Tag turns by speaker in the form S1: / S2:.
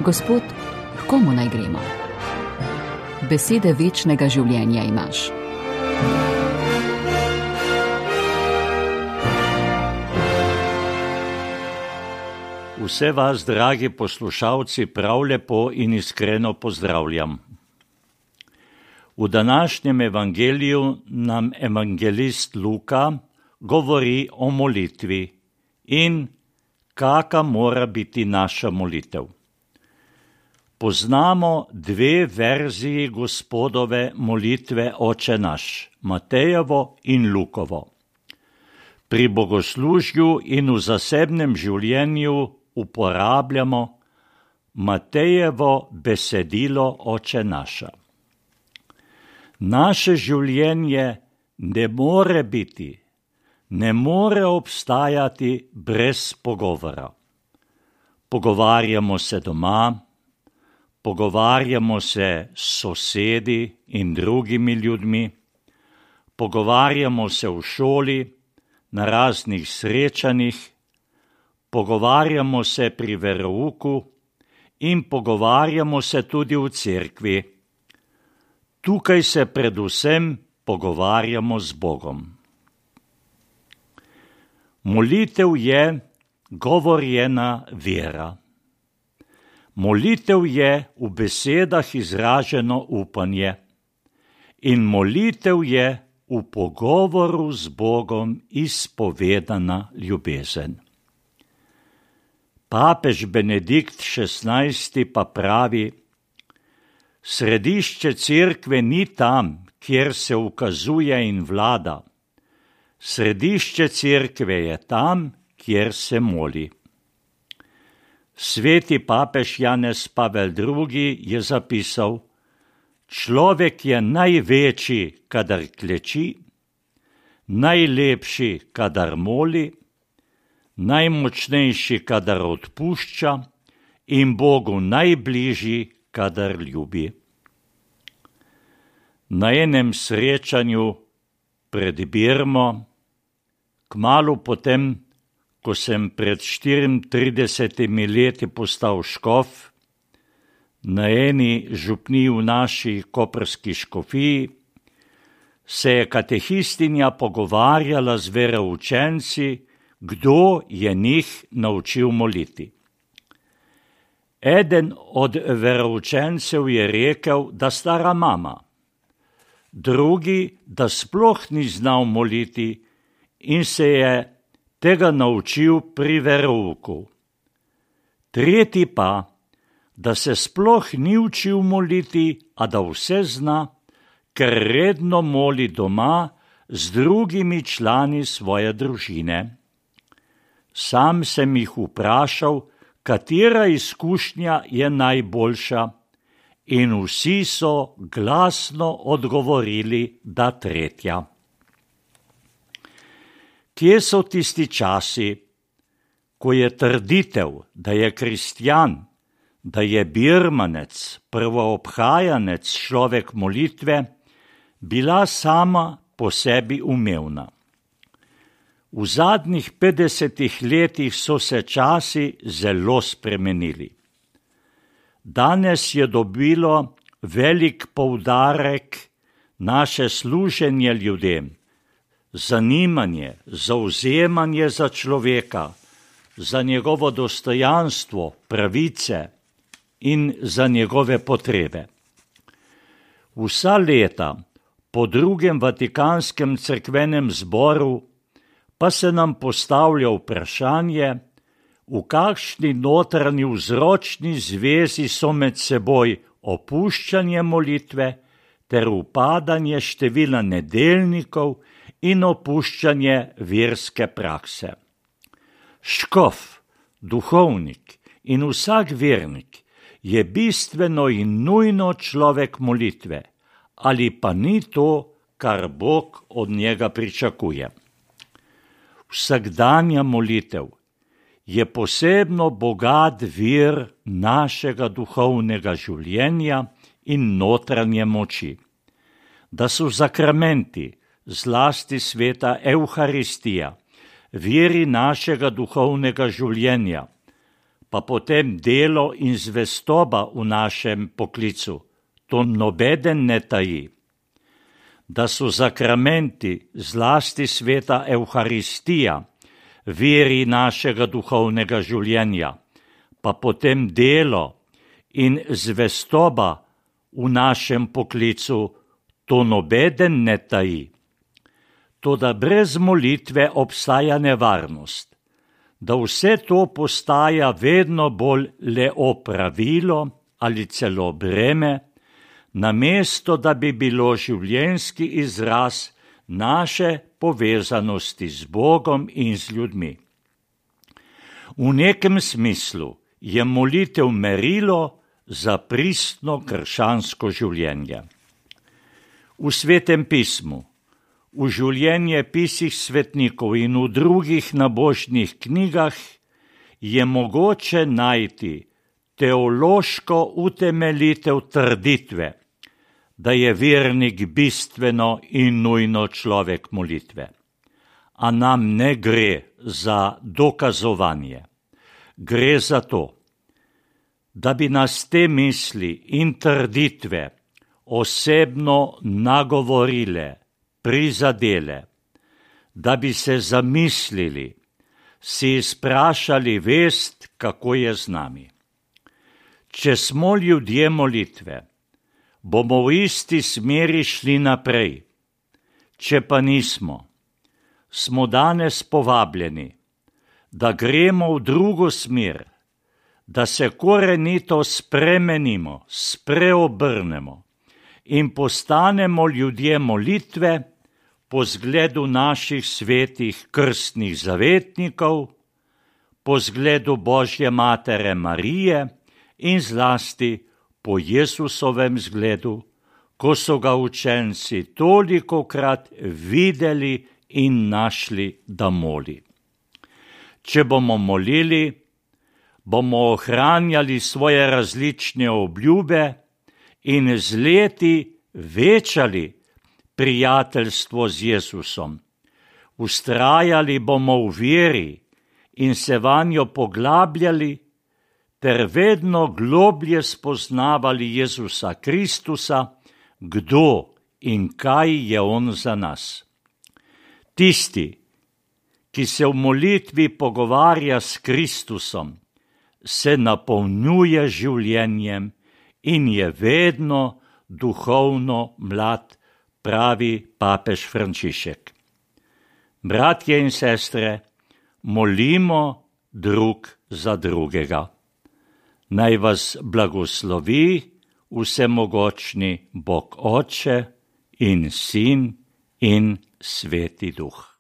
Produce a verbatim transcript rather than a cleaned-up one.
S1: Gospod, h komu naj gremo? Besede večnega življenja imaš.
S2: Vse vas, dragi poslušalci, prav lepo in iskreno pozdravljam. V današnjem evangeliju nam evangelist Luka govori o molitvi in kaka mora biti naša molitev. Poznamo dve verziji Gospodove molitve Oče naš, Matejevo in Lukovo. Pri bogoslužju in v zasebnem življenju uporabljamo Matejevo besedilo Oče naša. Naše življenje ne more biti, ne more obstajati brez pogovora. Pogovarjamo se doma, pogovarjamo se s sosedi in drugimi ljudmi, pogovarjamo se v šoli, na raznih srečanjih, pogovarjamo se pri verouku in pogovarjamo se tudi v cerkvi. Tukaj se predvsem pogovarjamo z Bogom. Molitev je govorjena vera. Molitev je v besedah izraženo upanje in molitev je v pogovoru z Bogom izpovedana ljubezen. Papež Benedikt šestnajsti pa pravi: središče cerkve ni tam, kjer se ukazuje in vlada. Središče cerkve je tam, kjer se moli. Sveti papež Janez Pavel drugi je zapisal: človek je največji, kadar kleči, najlepši, kadar moli, najmočnejši, kadar odpušča in Bogu najbližji, kadar ljubi. Na enem srečanju pred Birmo, kmalu potem, ko sem pred štiriintridesetimi leti postal škof, na eni župniji v naši koprski škofiji, se je katehistinja pogovarjala z veroučenci, kdo je njih naučil moliti. Eden od veroučencev je rekel, da stara mama, drugi, da sploh ni znal moliti in se je tega naučil pri verouku. Tretji pa, da se sploh ni učil moliti, a da vse zna, ker redno moli doma z drugimi člani svoje družine. Sam sem jih vprašal, katera izkušnja je najboljša, in vsi so glasno odgovorili, da tretja. Kje so tisti časi, ko je trditev, da je kristjan, da je birmanec, prvoobhajanec človek molitve, bila sama po sebi umevna? V zadnjih petdesetih letih so se časi zelo spremenili. Danes je dobilo velik poudarek naše služenje ljudem, zanimanje, zavzemanje za človeka, za njegovo dostojanstvo, pravice in za njegove potrebe. Vsa leta po drugem Vatikanskem cerkvenem zboru pa se nam postavlja vprašanje, v kakšni notranji vzročni zvezi so med seboj opuščanje molitve ter upadanje števila nedeljnikov in opuščanje verske prakse. Škof, duhovnik in vsak vernik je bistveno in nujno človek molitve, ali pa ni to, kar Bog od njega pričakuje. Vsakdanja molitev je posebno bogat vir našega duhovnega življenja in notranje moči. Da so zakramenti, zlasti sveta Evharistija, viri našega duhovnega življenja, pa potem delo in zvestoba v našem poklicu. To nobeden ne taji. Da so zakramenti, zlasti sveta Evharistija, veri našega duhovnega življenja, pa potem delo in zvestoba v našem poklicu, to nobeden ne taji. Toda brez molitve obstaja nevarnost, da vse to postaja vedno bolj le opravilo ali celo breme, namesto da bi bilo življenjski izraz naše povezanosti z Bogom in z ljudmi. V nekem smislu je molitev merilo za pristno krščansko življenje. V Svetem pismu, v življenjepisih svetnikov in v drugih nabožnih knjigah je mogoče najti teološko utemeljitev trditve, da je vernik bistveno in nujno človek molitve. A nam ne gre za dokazovanje. Gre za to, da bi nas te misli in trditve osebno nagovorile, prizadele, da bi se zamislili, si izprašali vest, kako je z nami. Če smo ljudje molitve, bomo v isti smeri šli naprej. Če pa nismo, smo danes povabljeni, da gremo v drugo smer, da se korenito spremenimo, spreobrnemo in postanemo ljudje molitve po zgledu naših svetih krstnih zavetnikov, po zgledu Božje matere Marije in zlasti po Jesusovem zgledu, ko so ga učenci tolikokrat videli in našli, da moli. Če bomo molili, bomo ohranjali svoje različne obljube in z leti večali prijateljstvo z Jezusom. Vztrajali bomo v veri in se vanjo poglabljali, ter vedno globlje spoznavali Jezusa Kristusa, kdo in kaj je on za nas. Tisti, ki se v molitvi pogovarja s Kristusom, se napolnjuje življenjem in je vedno duhovno mlad, pravi papež Frančišek. Bratje in sestre, molimo drug za drugega. Naj vas blagoslovi vsemogočni Bog Oče in Sin in Sveti Duh.